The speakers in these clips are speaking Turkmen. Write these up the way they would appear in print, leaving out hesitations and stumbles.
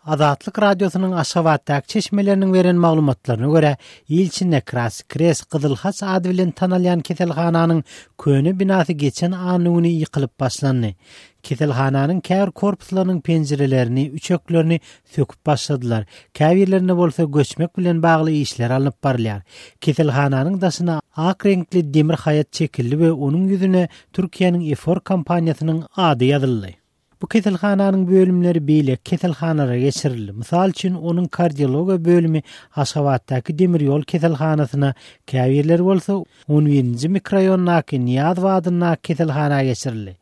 Azatlyk Radiosynyň Aşgabatdaky çeşmeleriniň beren maglumatlaryna görä, il içinde Krasny Krest, Gyzyl Haç ady bilen tanalýan keselhananyň köne binasy geçen anna güni ýykylyp başlandy. Keselhananyň käbir korpuslarynyň penjirelerini, üçeklerini söküp başladylar, käbirlerinde bolsa göçmek bilen bagly işler alnyp barylýar. Keselhananyň daşyna ak reňkli demir haýat çekildi we onuň ýüzüne Türkiýäniň Efor kompaniýasynyň ady ýazyldy. Bu keselhananyň bölümleri beýleki keselhanalara geçirildi. Mysal üçin, onuň kardiologiýa bölümi Aşgabatdaky demir ýol keselhanasyna, käbirleri bolsa on birinji mikroraýondaky Nyýazow adyndaky keselhana geçirildi.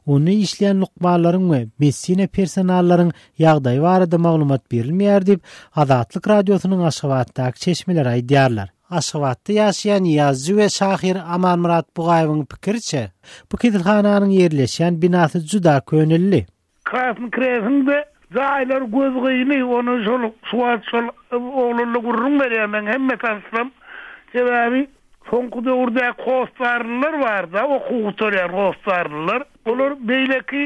Onda işleýän lukmanlaryň we medisina personallaryň ýagdaýy barada maglumat berilmeýär diýip, Azatlyk Radiosynyň Aşgabatdaky çeşmeleri aýdýarlar. Aşgabatda ýaşaýan ýazyjy we şahyr Amanmyrat Bugaýewiň pikiriçe, bu keselhananyň ýerleşýän binasy juda köneldi. Krasnyý Kresiň-de jaýlary gözgyny, ony şol şu wagt şol oglanla gürrüň berýär meň hemme tanyşlarym. Sebäbi soňky döwürdäki hossarlylar bar-da, okuw gutarýan hossarlylar. Olar beýleki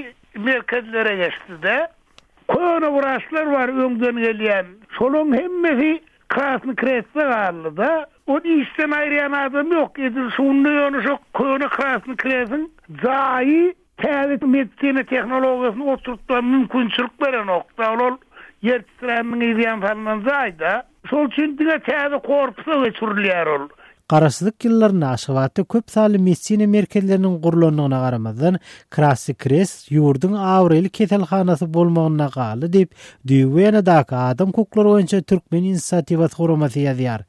merkezlere geçdi-de. Köne wraçlar bar öňden gelýän. Şolaň hemmesi Krasnyý Krestde galdy-da. Ony işden aýyrýan adam ýok. Edil şunda ýöne şo köne Krasnyý Kresiň jaýy täze medisina tehnologiýasyny oturtmaga mümkinçilik berenok-da. Ol ol ýer titräniniň yzýany salnan jaý-da. Şol üçin diňe täze korpusa geçirilýär ol. Garaşsyzlyk ýyllarynda Aşgabatda köp sanly medisina merkezleriniň gurlandygyna garamazdan, Krasnyý Krest ýurduň abraýly keselhanasy bolmagynda galdy diýip, Düýbi Wenadaky adam hukuklary boýunça Türkmen inisiatiwasy guramasy ýazýar.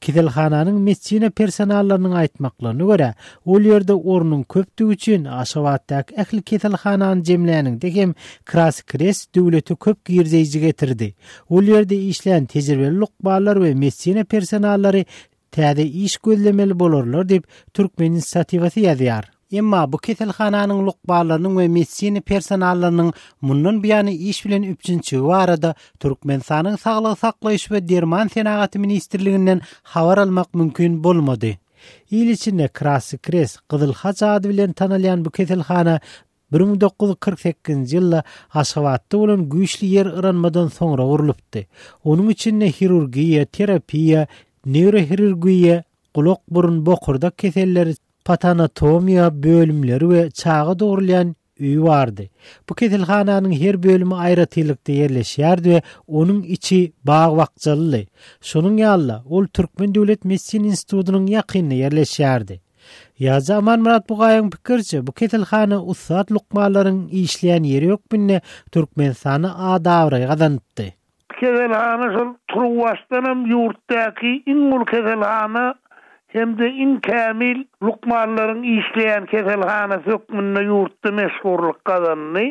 Keselhananyň medisina personallarynyň aýtmaklaryna görä, ol ýerde ornuň köpdügi üçin Aşgabatdaky ähli keselhanany jemläniňde hem Krasnyý Krest döwlete köp girdeýji getirdi. Ol ýerde işlän tejribeli lukmanlar we medisina personallary täze iş gözlemeli bolarlar diýip, Türkmen inisiatiwasy ýazýar. Emma bu keselhananyň lukmanlarynyň we medisina personallarynyň mundan buýana iş bilen üpjünçigi barada Türkmenistanyň Saglygy saklaýyş we derman senagaty ministrliginden habar almak mümkin bolmady. Il içinde Krasnyý Krest, Gyzyl Haç ady bilen tanalýan bu keselhana 1948-nji ýylda Aşgabatda bolan güýçli ýer yranmadan soňra gurlupdy. Onuň içinde hirurgiýa, terapiýa, neýrohirurgiýa, gulak-burun, bokurdak keselleri, patanatomiýa bölümleri we çaga dogrulýan öýi bardy. Bu keselhananyň her bölümi aýratynlykda ýerleşýärdi we onuň içi bag-bakjalydy. Şonuň ýaly-da, ol Türkmen döwlet medisina institutynyň ýakynynda ýerleşýärdi. Ýazyjy Amanmyrat Bugaýyň pikiriçe, bu keselhana ussat lukmanlaryň işleýän ýeri hökmünde Türkmenistanda at-abraý gazanypdy. Keselhana şol turuwbaşdanam ýurtdaky iň uly keselhana hem-de iň kämil lukmanlaryň işleýän keselhanasy hökmünde ýurtda meşhurlyk gazandy.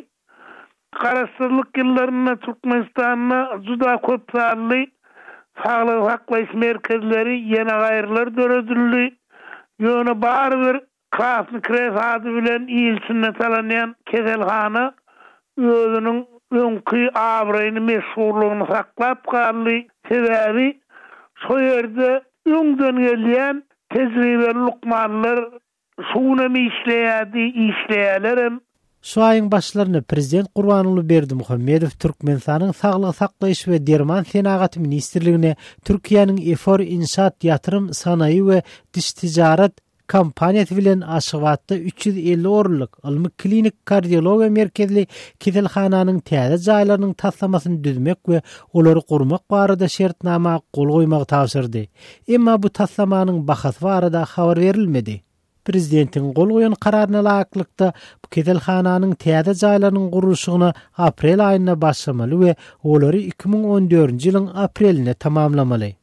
Garaşsyzlyk ýyllarynda Türkmenistanda juda köp sanly saglygy saklaýyş merkezleri, ýene gaýrylar döredildi. Ýöne barybir Krasnyý Krest ady bilen il içinde talanýan keselhana özüniň öňki abraýyny, meşhurlygyny saklap galdy. Sebäbi şo ýerde öňden gelýän tejribeli lukmanlar Şu günem işleýärdi, işleýärlerem. Şu aýyň başlarynda prezident Gurbanguly Berdimuhamedow Türkmenistanyň Saglygy saklaýyş we derman senagaty ministrligine Türkiýäniň Efor Inşaat ýatyrym sanaýy we diş tijarat kompaniýasy bilen Aşgabatda 350 orunlyk ylmy-klinik kardiologiýa merkezli keselhananyň täze jaýlarynyň taslamasyny düzmek we olary gurmak barada şertnama gol goýmagy tabşyrdy. Emma bu taslamanyň bahasy barada habar berilmedi. Prezidentiň gol goýan kararyna laýyklykda, bu keselhananyň täze jaýlarynyň gurluşygyna aprel aýynda başlamaly we olary 2014-nji ýylyň aprelinde tamamlamaly.